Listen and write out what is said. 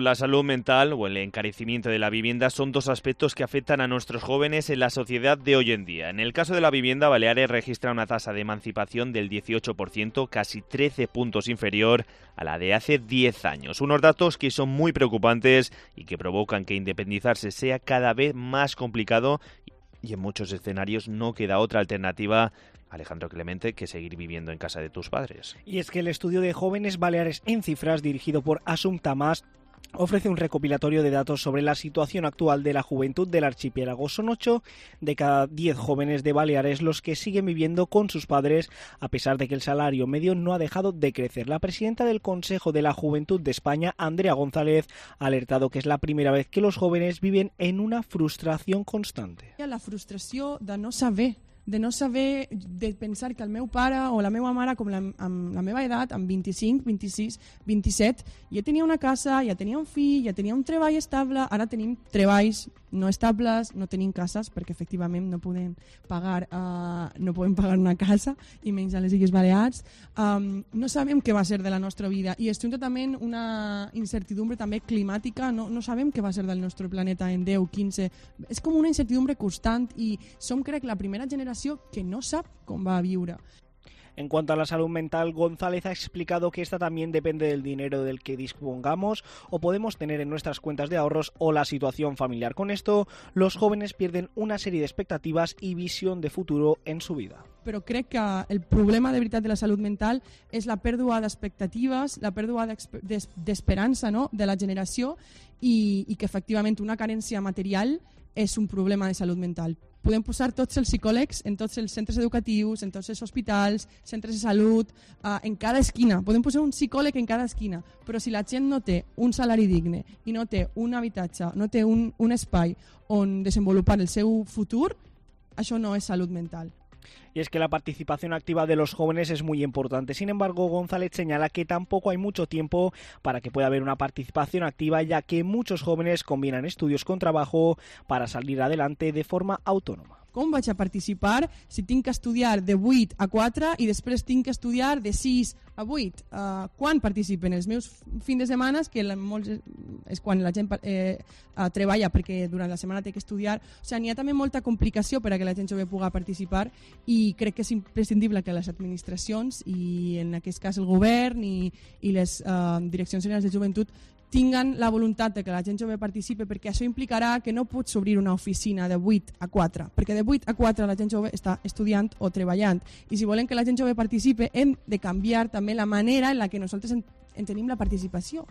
La salud mental o el encarecimiento de la vivienda son dos aspectos que afectan a nuestros jóvenes en la sociedad de hoy en día. En el caso de la vivienda, Baleares registra una tasa de emancipación del 18%, casi 13 puntos inferior a la de hace 10 años. Unos datos que son muy preocupantes y que provocan que independizarse sea cada vez más complicado y en muchos escenarios no queda otra alternativa, Alejandro Clemente, que seguir viviendo en casa de tus padres. Y es que el estudio de jóvenes baleares en cifras, dirigido por Assumpta Mas, ofrece un recopilatorio de datos sobre la situación actual de la juventud del archipiélago. Son 8 de cada 10 jóvenes de Baleares los que siguen viviendo con sus padres, a pesar de que el salario medio no ha dejado de crecer. La presidenta del Consejo de la Juventud de España, Andrea González, ha alertado que es la primera vez que los jóvenes viven en una frustración constante. La frustració de no saber, de pensar que el meu pare o la meva mare, com amb la meva edat, amb 25, 26, 27, ja tenia una casa, ja tenia un fill, ja tenia un treball estable, ara tenim treballs no estables, no tenim cases, perquè efectivament no podem pagar una casa, i menys a les Illes Balears. No sabem què va ser de la nostra vida, i estem totalment una incertidumbre també climàtica, no sabem què va ser del nostre planeta en 10, 15... És com una incertidumbre constant i som, crec, la primera generació que no sap com va viure. En cuanto a la salud mental, González ha explicado que esta también depende del dinero del que dispongamos o podemos tener en nuestras cuentas de ahorros o la situación familiar. Con esto, los jóvenes pierden una serie de expectativas y visión de futuro en su vida. Però crec que el problema de veritat de la salut mental és la pèrdua d'expectatives, la pèrdua d'esperança, no?, de la generació i que efectivament una carència material és un problema de salut mental. Podem posar tots els psicòlegs en tots els centres educatius, en tots els hospitals, centres de salut, en cada esquina. Podem posar un psicòleg en cada esquina, però si la gent no té un salari digne i no té un habitatge, no té un espai on desenvolupar el seu futur, això no és salut mental. Y es que la participación activa de los jóvenes es muy importante. Sin embargo, González señala que tampoco hay mucho tiempo para que pueda haber una participación activa, ya que muchos jóvenes combinan estudios con trabajo para salir adelante de forma autónoma. Com vaig a participar si tinc que estudiar de 8 a 4 i després tinc que estudiar de 6 a 8? Quan participen? Els meus fins de setmana, que és quan la gent treballa perquè durant la setmana té que estudiar. O sigui, n'hi ha també molta complicació per a que la gent jove pugui participar i crec que és imprescindible que les administracions i en aquest cas el govern i les direccions generals de joventut tinguen la voluntat de que la gent jove participi, perquè això implicarà que no pots obrir una oficina de 8 a 4, perquè de 8 a 4 la gent jove està estudiant o treballant. I si volem que la gent jove participi, hem de canviar també la manera en la que nosaltres en tenim la participació.